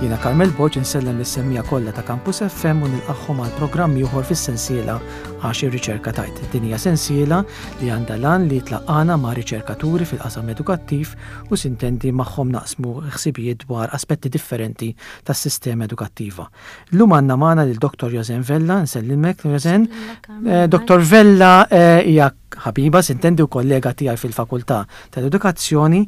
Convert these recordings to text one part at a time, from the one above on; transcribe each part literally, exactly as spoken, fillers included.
Jiena Carmel Borg, insellem lis-semmiegħa kollha ta' Campus F M u nilqagħhom għal programm ieħor fis-sensiela Għax ir-Riċerka Tgħid. Din hija sensiela li għandha l-għan li tlaqqagħna ma' riċerkaturi fil-qasam edukattiv u sintendi magħhom naqsmu ħsibijiet dwar aspetti differenti tas-sistema edukattiva. Illum għandna magħna lil Dottor Josen Vella. Nsellimek, Josen. Eh, Dottor Vella eh, hija ħabiba, sintendi, u kollega tiegħi fil-Fakultà tal-Edukazzjoni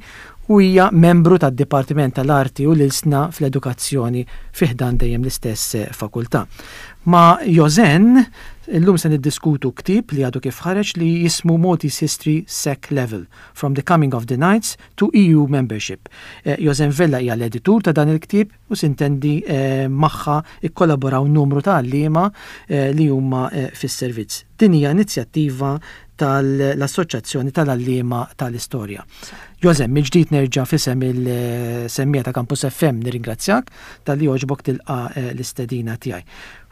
u hija membru tad-Dipartiment tal-Arti u l-Ilsna fl-Edukazzjoni fi ħdan dejjem l-istess eh, fakultà. Ma' Josen, illum se niddiskutu ktieb li għadu kif ħareġ li jismu Maltese History S E C Level, From the Coming of the Knights to E U Membership. Eh, Josen Vella hija l-editur ta' dan il-ktieb u sintendi eh, magħha ikkollaboraw numru ta' għalliema eh, li huma eh, fis-servizz. Din hija inizjattiva tal-Assoċjazzjoni tal-Għalliema tal-Istorja. Josen, mill-ġdid nerġa' f'isem il-semmiegħa ta' Campus F M nirringrazzjak talli għoġbok tilqa' eh, l-istedina tiegħi.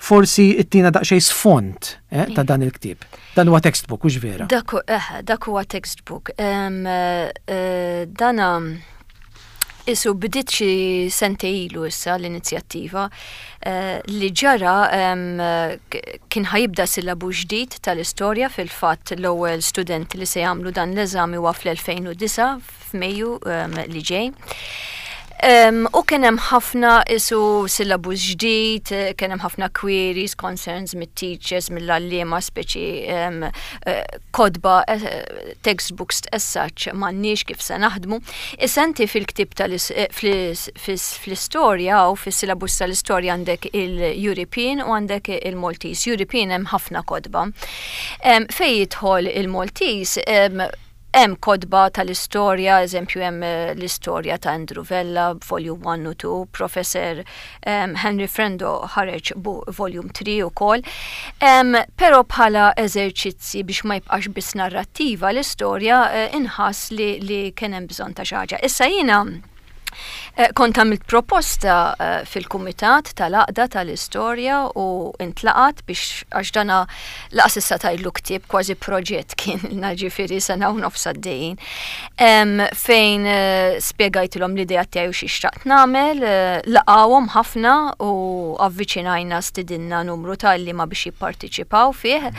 Forsi ittina daqsxejn sfond eh, ta' dan il-ktieb. Dan huwa textbook, hux vera? Dak eh, dak huwa textbook. Em, eh, Dana isu bdiet xi sentejn ilu issa l-inizjattiva eh, li ġara em, k- kien ħa jibda sillabu ġdid tal-istorja. Fil-fatt, l-ewwel studenti li se jagħmlu dan l-eżami huwa fl-elfejn u disgħa f'Mejju em, li ġej. Um, u kien hemm ħafna isu syllabus ġdid, eh, kien hemm ħafna queries, concerns mit-teachers, mill-għalliema, speċi um, uh, kotba, uh, textbooks as such, m'għandniex, kif se naħdmu. Issa inti fil-ktieb tal fl-istorja u fis-syllabus tal-istorja għandek il-European u għandek il-Maltese. European hemm ħafna kotba. Um, fej jidħol il-Maltese, um, hemm kotba tal-istorja, eżempju hemm eh, l-istorja ta' Andrew Vella, volume one u two, Professor um, Henry Frendo ħareġ volume three ukoll. Um, Però bħala eżerċizzi biex ma jibqax biss narrattiva l-istorja, uh, inħass li, li kien hemm bżonn ta' xi ħaġa. Issa jiena Eh, Kont għamilt proposta eh, fil-kumitat tal-għaqda tal-istorja u intlaqat biex, għax dana lanqas issa tgħidlu ktieb, kważi proġett kien, ġifieri sena u nofs għaddejjin. Em, Fejn eh, spjegajtilhom l-idea tiegħi u xi xtaqt nagħmel, eh, laqawhom ħafna u avviċinajna, stidinna numru ta' għalliema biex jipparteċipaw fih.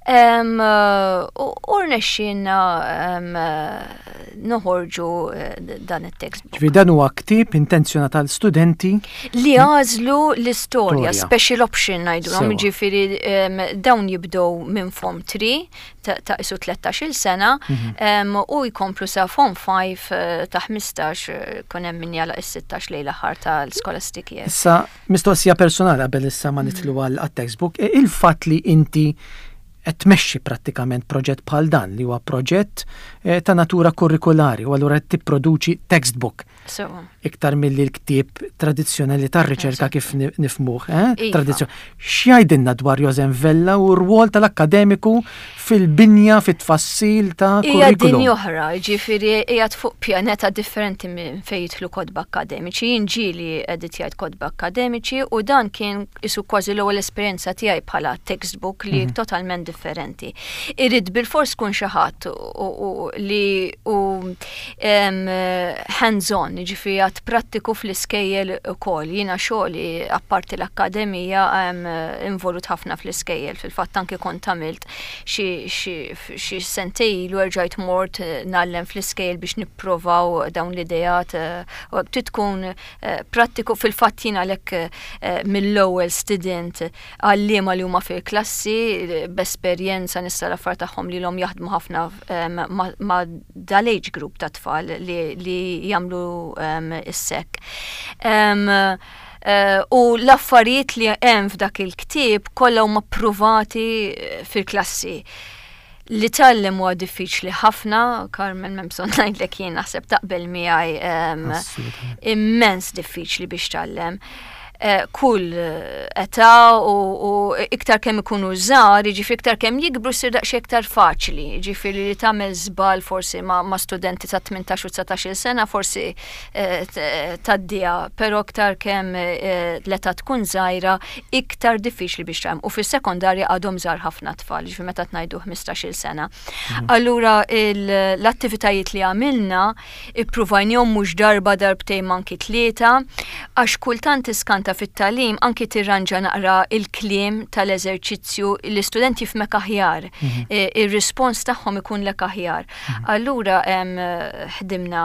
Em, U u rnexxielna em, noħorġu eh, dan it-textbook. Ġifieri dan huwa ktieb intenzjonat għal studenti li għażlu l-istorja, Storja. Special option ngħidulhom, Sewa. Ġifieri em, dawn jibdew minn Form three ta' ta' isu tlettax-il sena Mhm. em, u jkomplu sa Form five eh, ta' ħmistax, eh, kun hemm min jagħlaq is-sittax lejn l-aħħar tal-scholastic year. Issa, mistoqsija personali qabel issa ma nidħlu għal textbook, e, il-fatt li inti qed tmexxi prattikament proġett bħal dan, li huwa proġett eh, ta' natura kurrikulari, u allura qed tipproduċi textbook So, iktar milli l-ktieb tradizzjonali tar-riċerka kif ni- nifhmuh, eh? Iva. Tradizzjon. X'jgħidilna dwar Josen Vella u r-rwol tal-akkademiku fil-binja, fit-tfassil ta' Hija kurrikulum? dinja oħra, ġifieri qiegħed fuq pjaneta differenti minn fejn jidħlu kotba akademiċi. Jien ġieli editjajt kotba akademiċi u dan kien isu kważi l-ewwel esperjenza tiegħi bħala textbook li Mhm. totalment differenti. Irid bilfors tkun xi ħadd u- u li u em, hands-on, ġifieri għad prattiku fl-iskejjel ukoll. Jiena xogħli apparti l-akkademija em, involut ħafna fl-iskejjel. Fil-fatt anke kont għamilt xi xi xi sentejn ilu erġajt mort eh, ngħallem fl-iskejjel biex nipprovaw dawn l-idejat eh, u trid tkun eh, prattiku. Fil-fatt jiena għalhekk eh, mill-ewwel student għalliema li huma fil-klassi eh, b'esperjenza nista' l-affar tagħhom li l jaħdmu ħafna em, ma' ma' dal-age group ta' tfal li, li jagħmlu um, is-S E C. Um, Uh, u l-affarijiet li hemm f'dak il-ktieb kollha huma ppruvati eh, fil-klassi. Li tgħallem huwa diffiċli ħafna, Carmen, m'hemm bżonn ngħidlek, jien naħseb taqbel miegħi, um, Assolutament. immens diffiċli biex tgħallem. eh, kull età u, u iktar kemm ikunu żgħar, jiġifieri iktar kemm jikbru ssir daqsxejn iktar faċli, jiġifieri li tagħmel żball forsi ma', ma studenti ta' tmintax u dsatax-il sena forsi eh, tgħaddiha, però iktar kemm eh, l-età tkun żgħira, iktar diffiċli biex tagħmel. U fis-sekondarja għadhom żgħar ħafna tfal, jiġifieri meta tgħidu ħmistax-il sena. Mhm. Allura l-attivitajiet li għamilna ippruvajnihom mhux darba, darbtejn, anki tlieta, għax kultant tiskanta fit-tagħlim anki tirranġa naqra il-kliem tal-eżerċizzju, l-istudent jifhmek aħjar, mhm. e, ir-rispons tagħhom ikun lek aħjar. Mhm. Allura ħdimna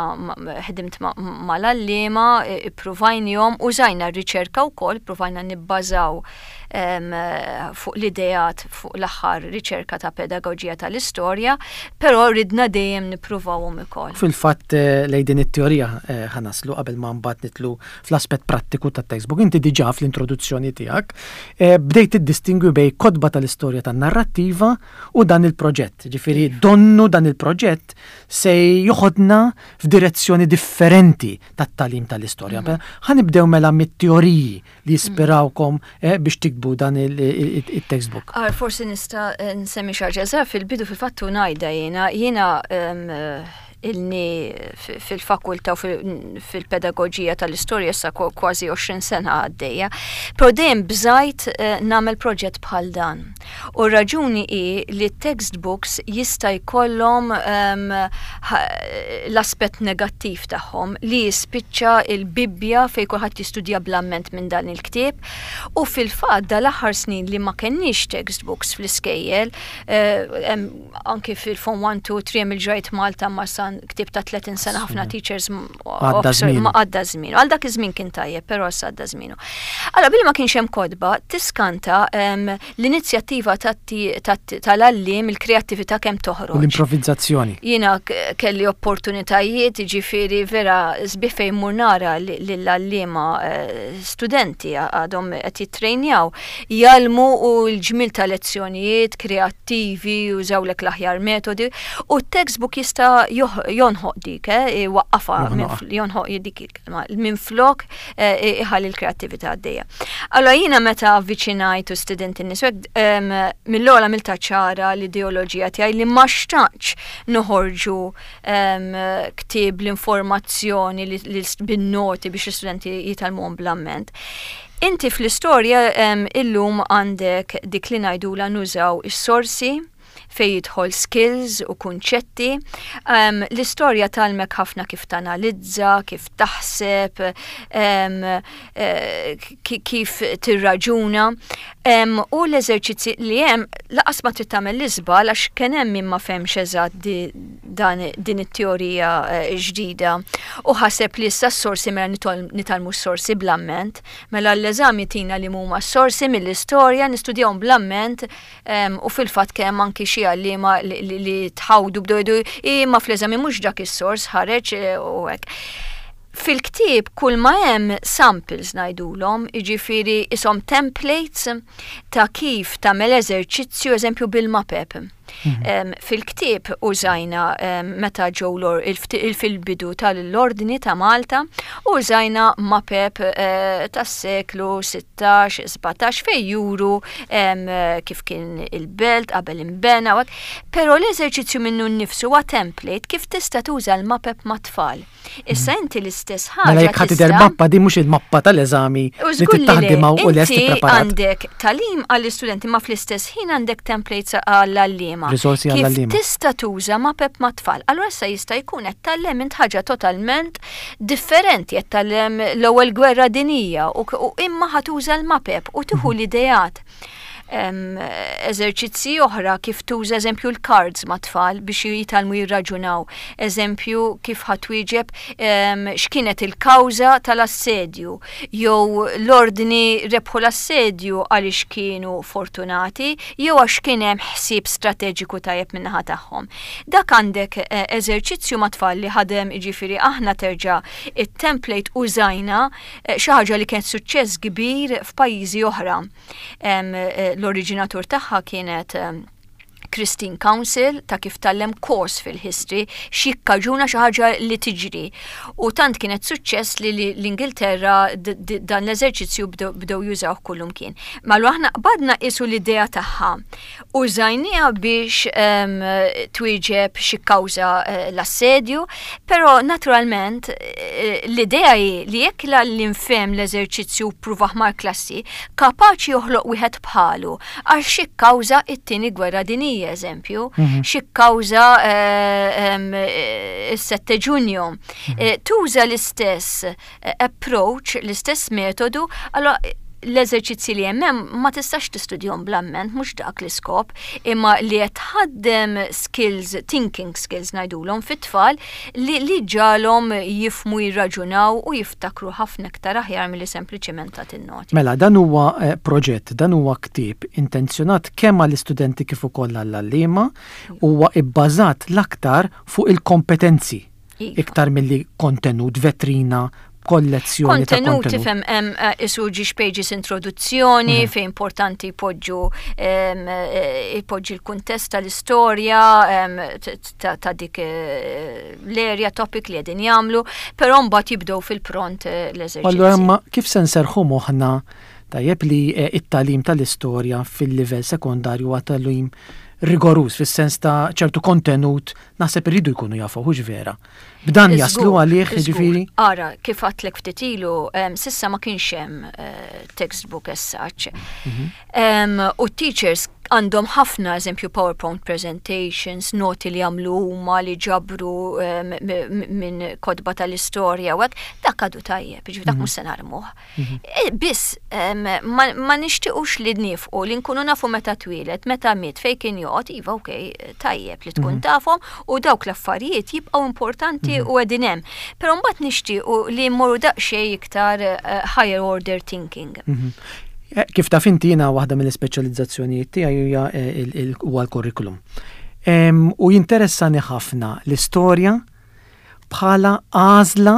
ħdimt mal-għalliema, ippruvajnihom, użajna r-riċerka wkoll, provajna nibbażaw fuq l-ideat fuq l-aħħar riċerka ta' pedagoġija tal-istorja, però ridna dejjem nippruvawhom ukoll. Fil-fatt eh, lejn din it-teorija eh, ħa naslu qabel ma mbagħad nidħlu fl-aspett prattiku tat-textbook. Inti diġà fl-introduzzjoni tiegħek eh, bdejt tiddistingwi bejn kotba tal-istorja tan-narrattiva u dan il-proġett. Ġifieri donnu dan il-proġett se joħodna f'direzzjoni differenti tat-tagħlim tal-istorja. Mm. Ħa nibdew mela mit-teoriji li jispirawkom biex tiktbu dan il-textbook. Ar, forsi nista' nsemmi xi ħaġa fil-bidu. Fil-fattu ngħidha jiena jiena ilni fil-fakulta u fil-pedagogija tal-istorja sa kważi għoxrin sena għaddejja. Però dejjem bżajt eh, nagħmel proġett bħal dan. U raġuni hi li textbooks jista' jkollhom l-aspett negattiv tagħhom li jispiċċa il-Bibbja fejn kulħadd jistudja bl-amment minn dan il-ktieb. U fil-fatt dal-aħħar snin li ma kenniex textbooks fl-iskejjel, eh, anki fil-Form one, two, three il-ġrajt Malta ma san ktieb ta' tletin sena, ħafna teachers ma għadda żmien. Għal dak iż-żmien kien tajjeb, però issa għadda żmienu. Allora billi ma kienx hemm kotba, tiskanta l-inizjattiva tal-għalliem, il-kreattività kemm toħroġ. L-improvizzazzjoni. Jiena kelli opportunitajiet, ġifieri vera sbieħ fejn mur nara lill-għalliema eh, studenti għadhom qed jittrejnjaw, jgħallmu u l-ġmil ta' lezzjonijiet kreattivi, użawlek l-aħjar metodi u t-textbook jista' jonħoq dik, eh, waqqafa, jonħoq dik il-kelma, minn flok eh, iħalli l-kreattività għaddejja. Allora jiena meta avviċinajt u studenti nies, mill-ogħla għamiltha ċara l-ideoloġija tiegħi li ma xtaqx noħorġu ktieb l-informazzjoni bin-noti biex l-istudenti jitgħallmuhom bl-amment. Inti fl-istorja illum għandek dik li ngħidula nużaw is-sorsi fej jidħol skills u kunċetti. Um, l-istorja tgħallmek ħafna kif tanalizza, kif taħseb, um, kif tirraġuna. Um, u l-eżerċizzi li hemm lanqas ma trid tagħmel l-iżbal, għax kien hemm min ma fehemx eżatt dan din it-teorija eh, ġdida u ħaseb li issa s-sorsi, mela nitgħallmu s-sorsi bl-amment, mela l-eżami tina li huma s-sorsi mill-istorja, nistudjawhom bl-amment, u fil-fatt kemm anki xi għalliema li, li tħawdu, bdew jgħidu imma fl-eżami mhux dak is-sors ħareġ eh, u hekk. Fil-ktieb kull ma hemm samples ngħidulhom, jiġifieri ishom templates ta' kif tagħmel eżerċizzju, eżempju bil-mapep. Mhm. Fil-ktieb użajna meta ġew fil-bidu tal-Ordni ta' Malta, użajna mapep eh, tas-seklu sittax, sbatax fej juru kif kien il-belt qabel imbena. Però l-eżerċizzju minnu nnifsu huwa template kif tista' tuża l-mapep mat-tfal. Issa mhm. inti l-istess ħaġa. Mela jekk ħa tidher mappa di mhux il-mappa tal-eżami li taħdimha u lest preparat. Għandek tagħlim għall-istudenti ma fl-istess ħin għandek templates għall-għalliema. Risorsi għall-għalliema. Kif tista' tuża mapep mat-tfal. Allura issa jista' jkun qed tgħallem int ħaġa totalment differenti, qed tgħallem l-ewwel gwerra dinija u imma ħa tuża l-mapep u tieħu mhm. l-ideat, eżerċizzi oħra kif tuża eżempju l-cards ma' tfal biex jitgħallmu jirraġunaw. Eżempju kif ħa twieġeb x'kienet il-kawża tal-assedju, jew l-ordni rebħu l-assedju għaliex kienu fortunati jew għax kien hemm ħsieb strateġiku tajjeb min-naħa tagħhom. Dak għandek eh, eżerċizzju ma' tfal li ħadem, jiġifieri aħna terġa' it-template użajna eh, xi ħaġa li kien suċċess kbir f'pajjiżi oħra. Eh, l-oriġinatur tagħha kienet Christine Council ta' kif tgħallem kors fil-history, x'jikkaġuna xi ħaġa li tiġri. U tant kienet suċċess li l-Ingilterra dan l-eżerċizzju bdew jużawh kullimkien. Mela aħna qbadna isu l-idea tagħha. Użajnieha biex twieġeb xi kawża eh, l-assedju, però naturalment eh, l-idea hi li jekk l-għalliem fehem l-eżerċizzju pprovah mal-klassi, kapaċi joħloq wieħed bħalu għax xi kawża it-tieni gwerra dinjija, eżempju, mhm. xi kawża eh, is-sette Ġunju. Mhm. Tuża l-istess approach, l-istess metodu, allora l-eżerċizzi li hemm ma tistax tistudjahom bl-amment, mhux dak l-iskop, imma li qed tħaddem skills, thinking skills ngħidulhom fit-tfal li li ġġagħalhom jifhmu, jirraġunaw u jiftakru ħafna iktar aħjar milli sempliċement ta' noti. Mela, dan huwa eh, proġett, dan huwa ktieb intenzjonat kemm għall-istudenti kif ukoll għall-għalliema, huwa ibbażat l-aktar fuq il-kompetenzi iva. iktar milli kontenut, vetrina, kollezzjoni. Kontenut, tifhem, hemm eh, isu ġiex pages introduzzjoni mm. fejn importanti jpoġġu eh, jpoġġi l-kuntest tal-istorja ta' dik eh, l-area topic li qegħdin jagħmlu, però mbagħad jibdew fil-pront l-eżerċizzju. Allura, imma kif se nserħu moħħna tajjeb li it-tagħlim tal-istorja fil-livell sekondarju huwa tagħlim rigoruż fis-sens ta' ċertu kontenut naħseb irridu jkunu jafu, hux vera? B'dan jaslu għalih, ġifieri? Ara, kif għedtlek ftit ilu, s'issa ma kienx hemm eh, textbook as such. Mhm. U teachers għandhom ħafna, eżempju, PowerPoint presentations, noti li għamlu huma li ġabru minn kotba tal-istorja u hekk, dak għadu tajjeb, ġifieri dak mhm. mhux se narmuh. Mhm. E, biss ma nixtiequx li nifqu li nkunu nafu meta twieled, meta miet, fejn kien joqgħod, iva, okej, tajjeb li tkun mhm. tafhom u dawk l-affarijiet jibqgħu importanti u qegħdin hemm. Però mbagħad nixtiequ li mmorru daqsxejn iktar eh, higher order thinking. Eh, kif taf inti, jiena waħda mill-ispeċjalizzazzjonijiet tiegħi hija eh, huwa l-kurrikulum. U jinteressani ħafna l-istorja bħala għażla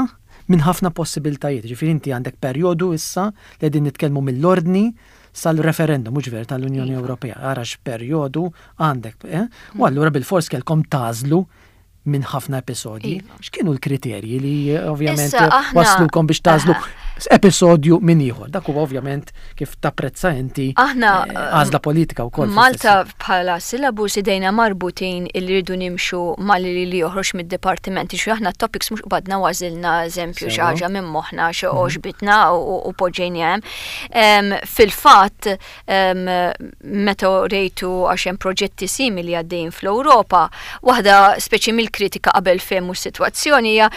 minn ħafna possibiltajiet. Ġifieri inti għandek perjodu issa li qegħdin nitkellmu mill-ordni sal-referendum, mhux ver, tal-Unjoni iva. Ewropea. Ara x'perjodu għandek. Eh? U allura bil-fors kellkom tagħżlu minn ħafna episodji. Iva. X'kienu l-kriterji li eh, ovvjament waslukom biex tagħżlu episodju minn ieħor? Dak huwa ovvjament, kif tapprezza inti, aħna eh, għażla politika wkoll. Malta bħala syllabus idejna marbutin illi rridu nimxu mal-li li joħroġ mid-dipartimenti, xi aħna topics mhux qbadna għażilna, eżempju, xi ħaġa minn moħħna xi mhm. għoġbitna u poġġejna hemm. Fil-fatt, meta rejtu, għax hemm proġetti simili għaddejjin fl-Ewropa, waħda speċi mill-kritika qabel fehmu s-sitwazzjoni hija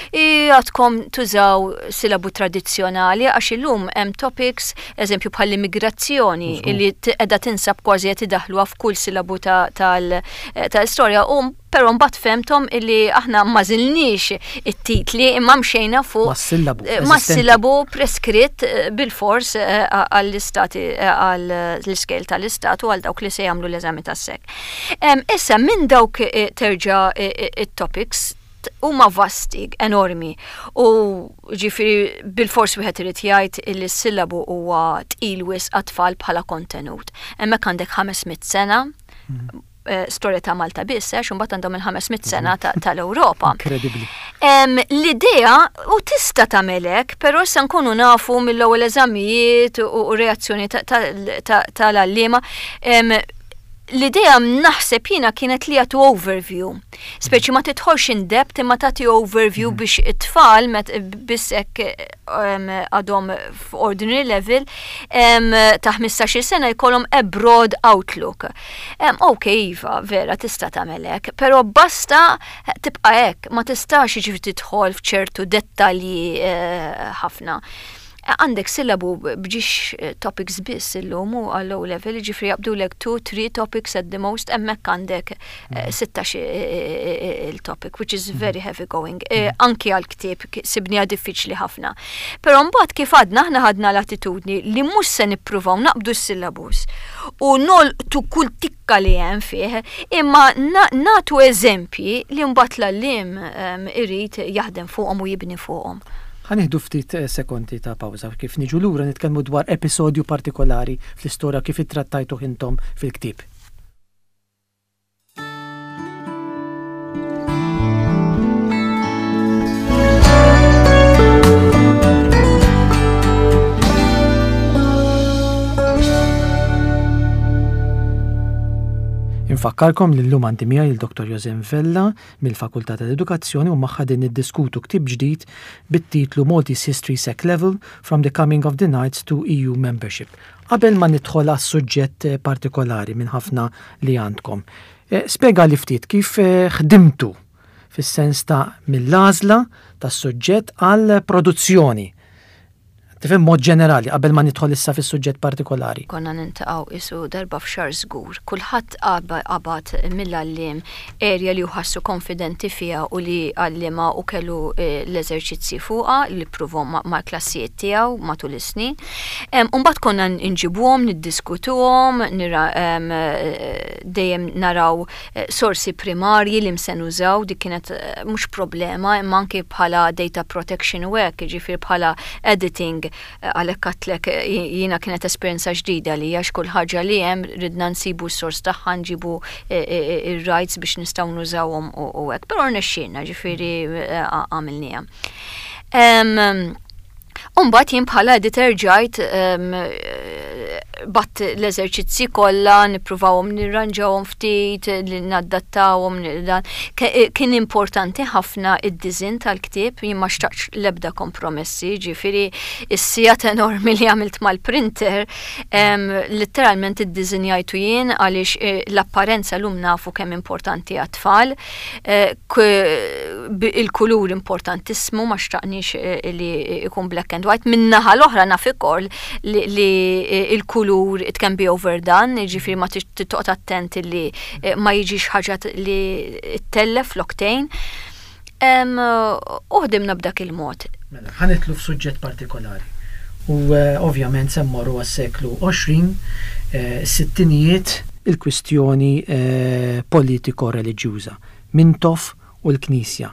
għadkom tużaw silabu tradizzjonali għax illum hemm topics, eżempju, bħall-immigrazzjoni li qiegħda tinsab kważi qed idaħluha f'kull silabu tal-istorja u però mbagħad fehmthom illi aħna ma żilniex it-titli imma mxejna fuq mas-sillabu preskritt eh, bil-fors eh, għall-istati, eh, għall-iskejjel tal-istat u għal dawk li se jagħmlu l-eżami tas-S E C. Issa minn dawk terġa' it-topics huma vasti, enormi. U ġifieri bil-fors wieħed irid jgħid li s-sillabu huwa tqil wisq għat-tfal bħala kontenut. Hemmhekk għandek ħames mitt sena, mm. Eh, storja ta' Malta biss, għax imbagħad għandhom il-ħames mitt sena tal-Ewropa. Incredibly. L-idea u tista' tagħmelek, però issa nkunu nafu mill-ewwel eżamijiet u reazzjoni tal-għalliema. L-idea naħseb jiena kienet li jagħtu overview. Speċi ma tidħolx in depth imma tagħti overview mm. biex it-tfal biss hekk għadhom f'ordinary level ta' ħmistax-il sena jkollhom a broad outlook. Ok, iva, vera tista' tagħmel hekk, però basta, tibqa' hekk, ma tistax jiġifieri tidħol f'ċertu dettalji eh, ħafna. Għandek sillabu b'ġiex eh, topics biss illum u għall-O level, ġifieri jaqbdulek two, three topics at the most, hemmhekk għandek eh, sittax eh, il-topic, which is very heavy going. Anki għal-ktieb sibnieha diffiċli ħafna. Però mbagħad, kif għadna, aħna ħadna l-attitudni li mhux se nippruvaw naqbdu s-syllabus u nolqtu kull tikka li hemm fih, imma nagħtu eżempji li mbagħad l-għalliem irid jaħdem fuqhom u jibni fuqhom. Ħa nieħdu ftit eh, sekondi ta' pawża. Kif niġu lura nitkellmu dwar episodju partikolari fl-istorja kif ittrattajtu intom fil-ktieb. Infakkarkom li llum għandi miegħi il-Dottor Josem Vella mill-Fakultà tal-Edukazzjoni u magħha din niddiskutu ktieb ġdid bit-titlu Maltese History Sec Level: From the Coming of the Knights to E U Membership. Qabel ma nidħol għas suġġett partikolari minn ħafna li għandkom, eh, spjega li ftit kif eh, ħdimtu fis-sens ta' mill-għażla tas-suġġett għal produzzjoni. Tifhem, mod ġenerali, qabel ma nidħol issa fis-suġġett partikolari. Konna niltaqgħu qisu darba f'xahar żgur. Kulħadd qabad mill-għalliem area li ħassu konfidenti fiha u li għallima u kellu eh, l-eżerċizzi fuqha li ppruvahom ma' klassijiet tiegħu matul is-snin. Mbagħad konna nġibuhom, niddiskutuhom, eh, dejjem naraw eh, sorsi primarji li se nużaw, dik kienet mhux problema, imma anke bħala data protection work, ġifier bħala editing, għalhekk għedtlek jiena kienet esperjenza ġdida li għax kull ħaġa li hemm ridna nsibu s-sors tagħha, nġibu e, e, e, ir-rights biex nistgħu nużawhom u hekk. Però rnexxielna, ġifieri għamilniha. Umbagħad jien bħala editor ġajt bgħatt l-eżerċizzi kollha, nippruvawhom nirranġawhom ftit, li nadattawhom dan. Kien importanti ħafna id-design tal-ktieb, jien ma xtaqx l-ebda kompromessi, ġifieri is-sigħat enormi li għamilt mal-printer, letteralment iddisinjajtu jien għaliex eh, l-apparenza llum nafu kemm importanti għat-tfal, eh, il-kulur importantissimu, ma xtaqniex eh, li ikun black and white. Min-naħa l-oħra naf ukoll li il-kulur it can be overdone, ġifieri ma toqgħod attent li eh, ma jiġix ħaġa li ttellef l-octane. U ħdimna b'dak il-mod. Mela, ħa nidħlu f'suġġett partikolari. U eh, ovvjament se mmorru għas-seklu għoxrin, eh, sittinijiet, il-kwistjoni politiko-reliġjuża. Mintoff u l-Knisja.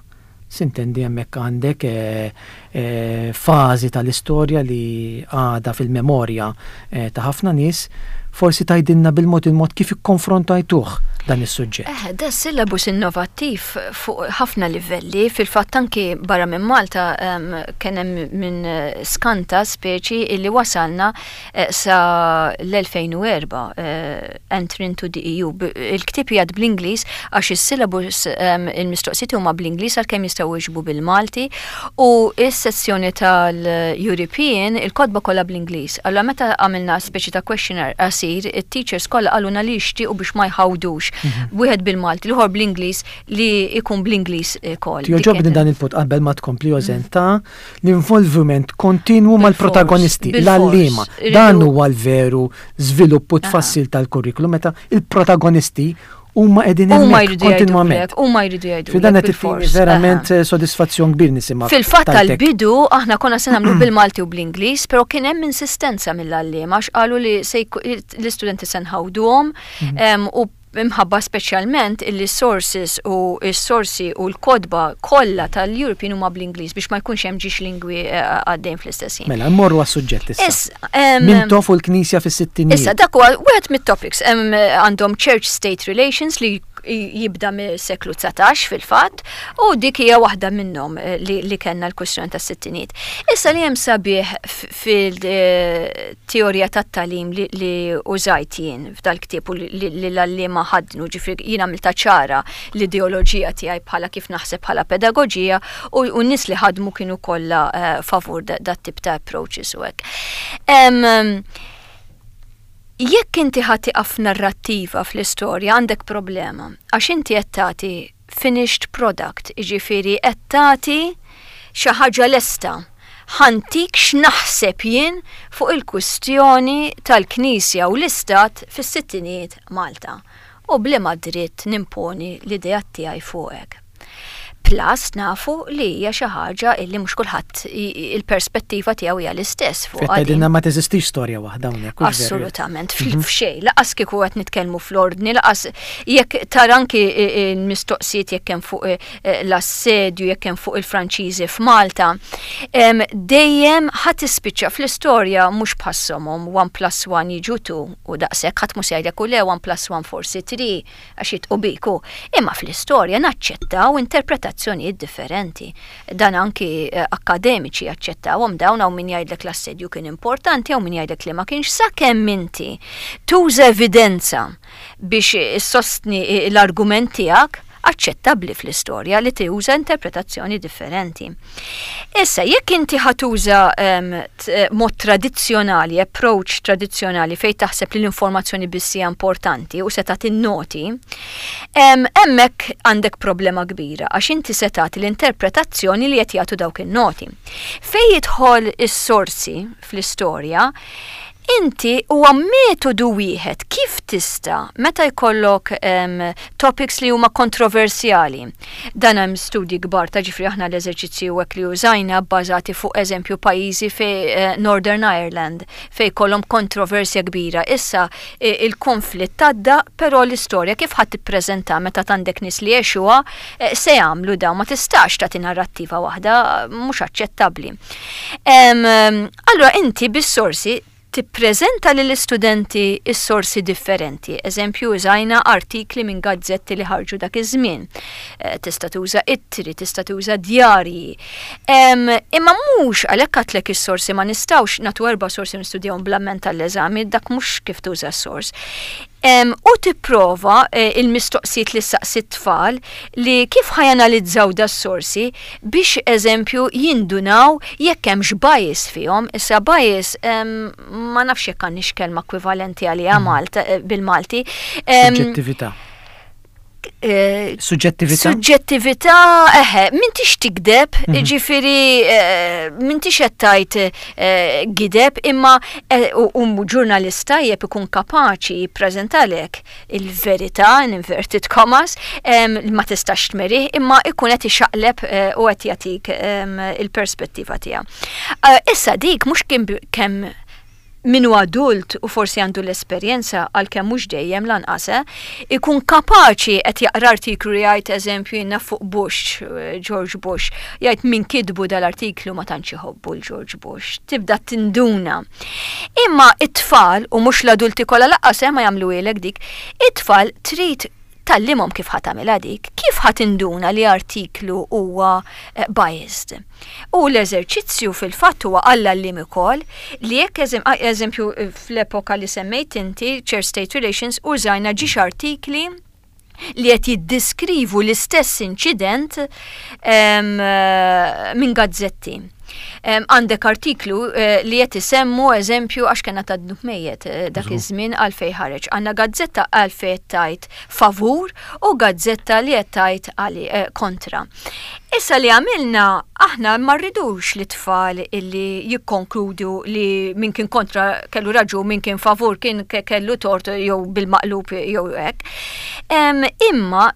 S'intendi, hemmhekk għandek eh, eh, fażi tal-istorja li għada fil-memorja eh, ta' ħafna nies. Forsi tgħidilna bil-mod il-mod kif ikkonfrontajtuh dan is-suġġett. Eh, da syllabus innovattiv fuq ħafna livelli, fil-fatt anki barra minn Malta um, kien hemm minn skanta speċi illi wasalna eh, sa l-elfejn u erbgħa, eh, entry into the E U. Il-ktieb jgħad bl-Ingliż għax is-syllabus, um, il-mistoqsijiet huma bl-Ingliż għalkemm jistgħu jiġbu bil-Malti, u is-sezzjoni tal-European il-kotba kollha bl-Ingliż. Allura meta għamilna speċi ta' questionnaire qasir, it-teachers kollha qalulna li jixtiequ biex ma jħawdux. Mhm. Wieħed bil-Malti, l-ieħor bl-Ingliż, li jkun bl-Ingliż ukoll. Jogħġobni dan il-punt, qabel ma tkompli, Ożen, ta' l-involviment kontinwu mal-protagonisti, l-għalliema. Dan huwa l-veru żvilupp u tfassil tal-kurrikulum meta il-protagonisti huma qegħdin hemmhekk kontinwament. Huma jridu jgħidu. Fi dan qed verament sodisfazzjon kbir nisimgħu. Fil-fatt tal-bidu aħna konna se nagħmlu bil-Malti u bl-Ingliż, però kien hemm insistenza mill-għalliema għax qalu li l-istudenti se nħawduhom mhm. u imħabba speċjalment illi sources u s-sorsi u l-kotba kollha tal-European huma bl-Ingliż biex ma jkunx hemm żewġ lingwi eh, għaddejn fl-istess ħin. Mela, mmorru għas-suġġett issa. Mintoff u l-Knisja fis-sittinijiet. Issa, dak huwa wieħed mit-topics, għandhom Church State Relations li jibda mis-seklu dsatax fil-fatt, u dik hija waħda minnhom eh, li, li kellna l-kwistjoni tas-sittinijiet. Issa, li hemm sabiħ fil-teorija tat-tagħlim li, li użajt jien f'dal-ktieb u li l-għalliema ħadnu, ġifieri jien għamilta ċara l-ideoloġija tiegħi bħala kif naħseb bħala pedagoġija, u n-nies li ħadmu kienu kollha uh, favur dat tip ta' approaches u hekk. Um, jekk inti ħa tieqaf narrattiva fl-istorja, għandek problema. Għax inti qed tagħti finished product, jiġifieri qed tagħti xi ħaġa lesta. Ħa ntik x'naħseb jien fuq il-kwistjoni tal-Knisja u l-Istat fis-sittinijiet Malta. U b'liema dritt nimponi l-idea tiegħi fuqek? Plus nafu li hija xi ħaġa illi mhux kulħadd il-perspettiva tiegħu hija l-istess fuq. Tgħidilna ma teżistix storja waħda hawnhekk. Assolutament, mhm. f'xejn, lanqas kieku qed nitkellmu fl-ordni, lanqas jekk tara anki l-mistoqsijiet jekk hemm fuq eh, l-assedju, jekk hemm fuq il-Franċiżi f'Malta, dejjem ħa tispiċċa fl-istorja mhux bħas-somom one plus one jiġu two u daqshekk, ħadd mhux jgħidlek u le one plus one forsi three għax jidħqu biku. Imma fl-istorja naċċettaw interpretazzjoni interpretazzjonijiet differenti. Dan anki eh, akademiċi jaċċettawhom dawn, hawn min jgħidlek l-assedju kien importanti, hawn min jgħidlek li ma kienx, sakemm inti tuża evidenza biex issostni l-argument tiegħek, aċċettabbli fl-istorja li tuża interpretazzjoni differenti. Issa, jekk inti ħa tuża um, mod tradizzjonali, approach tradizzjonali fej taħseb li l-informazzjoni biss hija importanti u se tagħti noti, hemmhekk għandek problema kbira għax inti se tagħti l-interpretazzjoni li qed jagħtu dawk in-noti. Fej jidħol is-sorsi fl-istorja, inti huwa metodu wieħed kif tista' meta jkollok um, topics li huma kontroversjali. Dan hemm studji kbar ta' ġifri aħna l-eżerċizzji u hekk li użajna bbażati fuq eżempju pajjiżi fi uh, Northern Ireland fej kollhom kontroversja kbira. Issa il-konflitt għadda, però l-istorja kif ħadd tippreżenta meta għandek nies li għexuha eh, se jagħmlu dawn, ma tistax tagħti narrattiva waħda, mhux aċċettabbli. Um, allura inti bis-sorsi tippreżenta lill-istudenti is-sorsi differenti. Eżempju, użajna artikli minn gazzetti li ħarġu dak iż-żmien. Eh, tista' tuża ittri, tista' tuża djarji. Imma mhux għalhekk għedtlek is-sorsi ma nistgħux nagħtu erba' sorsi nistudjawhom bl-amment tal-eżami, dak mhux kif tuża s-sors. U tipprova eh, il-mistoqsijiet li saqsi tfal li kif ħa janalizzaw das-sorsi biex eżempju jindunaw jekk hemmx bias fihom. Issa bias ma nafx jekk għandix kelma ekwivalenti għaliha mm. Malta eh, bil-Malti. Suġġettività. Eh, Suġġettività? Suġġettività, eħe, m'intix tigdeb, mhm. ġifiri, m'intix qed tgħid gideb, imma u ġurnalista jeb ikun kapaċi jippreżentalek il-verità, in inverted commas, ma tistax tmerih, imma ikun qed ixaqleb u qed jagħtik il-perspettiva tiegħu. Issa dik mhux kemm minu adult u forsi għandu l-esperjenza, għalkemm mhux dejjem lanqas, eh, ikun kapaċi qed jaqra artiklu li jgħid eżempju jiena fuq Bush, George Bush, jgħid min kitbu dal-artiklu ma tantx iħobbu l-George Bush. Tibda tinduna. Imma it-tfal, u mhux l-adulti kollha lanqas eh, ma jagħmlu dik, it-tfal trid tgħallimhom kif ħa tagħmilha dik, kif ħa tinduna li artiklu huwa eh, biased. U l-eżerċizzju fil-fatt huwa għall-għalliem ukoll li jekk eżempju fl-epoka li semmejt inti, Church State Relations, użajna ġiex artikli li qed jiddiskrivu l-istess inċident minn gazzetti. Għandek artiklu eh, li qed isemmu eżempju għax kena ta' dnub mejjet eh, dak iż-żmien għalfej ħareġ. Għandna gazzetta għalfej tgħid favur u gazzetta li qed tgħid eh, kontra. Issa li għamilna aħna ma rridux li tfal illi jikkonkludu li min kien kontra kellu raġun, min kien favur kien kellu tort jew bil-maqlub jew hekk. Imma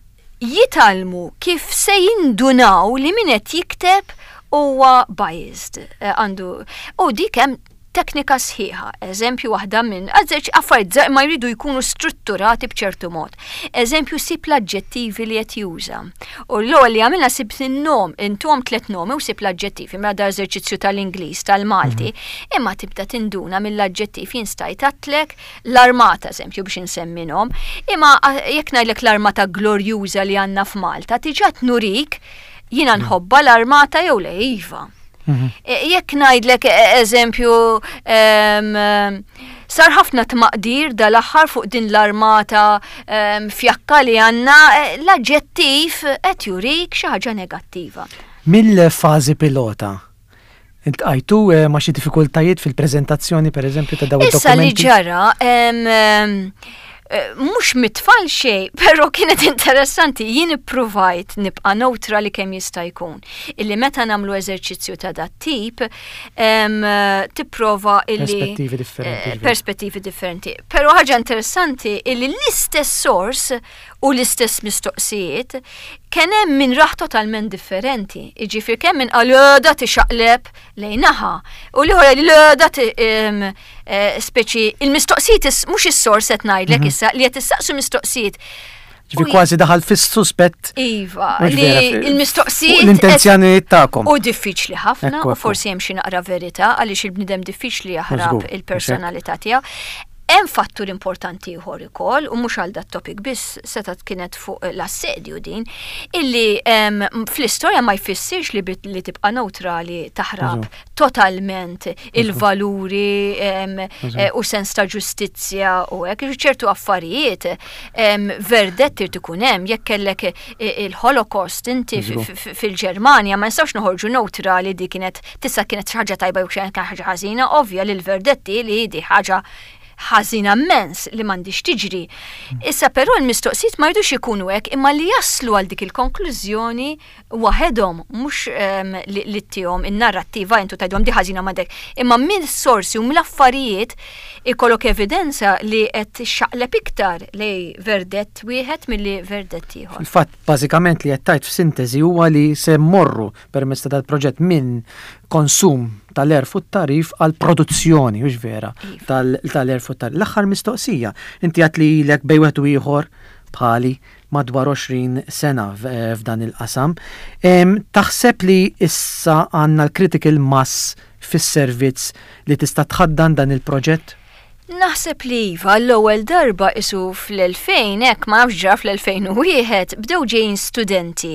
jitgħallmu kif se jindunaw li min qed jikteb huwa biased eh, għandu u dik hemm teknika sħiħa. Eżempju waħda minn affarijiet ma jridu jkunu strutturati b'ċertu mod. Eżempju, sib l-aġġettivi li qed juża. U l-ewwel li għamilna sib in-nom, intuhom tliet nomi u sib l-aġġettivi, mela da eżerċizzju tal-Ingliż, tal-Malti, mhm. imma tibda tinduna mill-aġġettiv jinstajt għedtlek l-armata eżempju biex insemmi nom, imma jekk ngħidlek l-armata glorjuża li għandna f'Malta, tiġa nurik jiena mhm. nħobbha l-armata jew le iva. Mhm. E, jekk ngħidlek e, eżempju sar ħafna tmaqdir dal-aħħar fuq din l-armata fjakka li għandna, e, l-aġġettiv qed jurik xi ħaġa negattiva. Mill-fażi pilota, iltqajtu ma' xi diffikultajiet fil-preżentazzjoni per eżempju ta' dawn Issa li ġara, mhux mit-tfal xejn, però kienet interessanti, jien ippruvajt nibqa' neutrali kemm jista' jkun. Illi meta nagħmlu eżerċizzju ta' dat tip, tipprova illi Perspettivi differenti. Eh, perspettivi differenti. Però ħaġa interessanti illi l-istess source u l-istess mistoqsijiet kien hemm min raħ totalment differenti. Jiġifieri kemm min qal da tixaqleb lejn naħa u l-ieħor li da eh, speċi il-mistoqsijiet mhux is-source qed ngħidlek mhm. issa li qed issaqsu mistoqsijiet. Ġifi kważi daħal fis-suspett. Iva, li il-mistoqsijiet. L-intenzjonijiet tagħkom. U diffiċli ħafna, u forsi hemm xi naqra verità għaliex il-bniedem diffiċli jaħrab il-personalità tiegħu. Hemm fattur importanti ieħor ukoll, u mhux għal dat-topic biss, setgħet kienet fuq l-assedju din, illi fl-istorja ma jfissirx li, li tibqa' neutrali taħrab totalment il-valuri eh, u sens ta' ġustizzja u hekk. Ċertu affarijiet verdett irid ikun hemm. Jekk kellek il-Holocaust inti fil-Ġermanja, ma nistgħux noħorġu neutrali di kienet tista' kienet ħaġa tajba jew ħaġa ħażina. Ovvja li l-verdetti li di ħaġa ħażina immens li m'għandix tiġri. Issa però l-mistoqsijiet ma jridux ikunu hekk, imma li jaslu għal dik il-konklużjoni waħedhom, mhux um, li, li ttihom in-narrattiva intu tgħidhom di ħażina m'għandek. Imma minn sorsi u mill-affarijiet ikollok evidenza li qed xaqleb iktar lej verdett wieħed milli verdett ieħor. Fil-fatt, bażikament li qed tgħid f'sintesi huwa li se mmorru permezz ta' dal-proġett minn konsum tal-għerf u t-tagħrif għal produzzjoni, hux vera, Iva. tal-għerf u t-tagħrif. L-aħħar mistoqsija, inti għedt li ilek bejn wieħed u ieħor bħali madwar għoxrin sena f'dan il-qasam. Taħseb li issa għandna l-critical mass fis-servizz li tista' tħaddan dan il-proġett? Naħseb li iva, l-ewwel darba isu fl-elfejn, hekk ma nafx ġara fl-elfejn u wieħed, bdew ġejjin studenti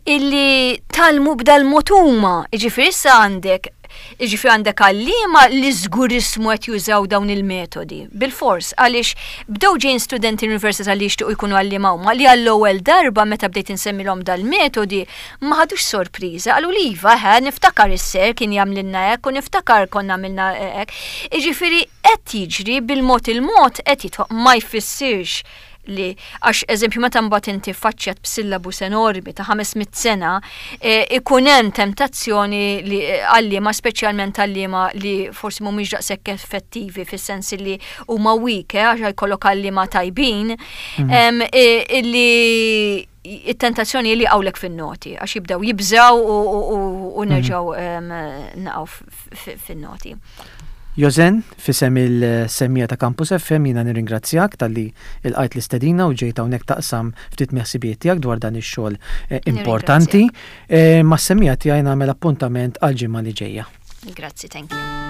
illi tgħallmu b'dal-mod huma, jiġifieri issa għandek jiġifieri għandek għalliema li żgurismu qed jużaw dawn il-metodi. Bil-fors, għaliex bdew ġejjin studenti l-università li jixtiequ jkunu għalliema huma, li għall-ewwel darba meta bdejt insemmilhom dal-metodi ma ħadux sorpriża, qalu li iva, ħa niftakar is-sir kien jagħmlilna hekk u niftakar konna għamilna hekk. Jiġifieri qed jiġri bil-mod il-mod qed jitħoq. Ma jfissirx li għax, eżempju, meta mbagħad inti faċċjat b'syllabus enormi ta' ħames mitt sena, e, ikun hemm tentazzjoni li għalliema, speċjalment għalliema li forsi mhumiex daqshekk effettivi fis-sens li huma weak, eh, għax jkollok għalliema tajbin, mhm. e, illi it-tentazzjoni li għawlek fin-noti, għax jibdew jibżaw u mhm. nerġaw naqgħu fin-noti. Jozen, f'isem il-semmiegħa ta' Campus F M jiena nirringrazzjak talli lqajt l-istedina u ġejt hawnhekk taqsam ftit miħsibijiet tiegħek dwar dan ix-xogħol eh, importanti. Eh, mas-semmiegħa tiegħi nagħmel appuntament għal ġimgħa li ġejja. Grazzi, thank you.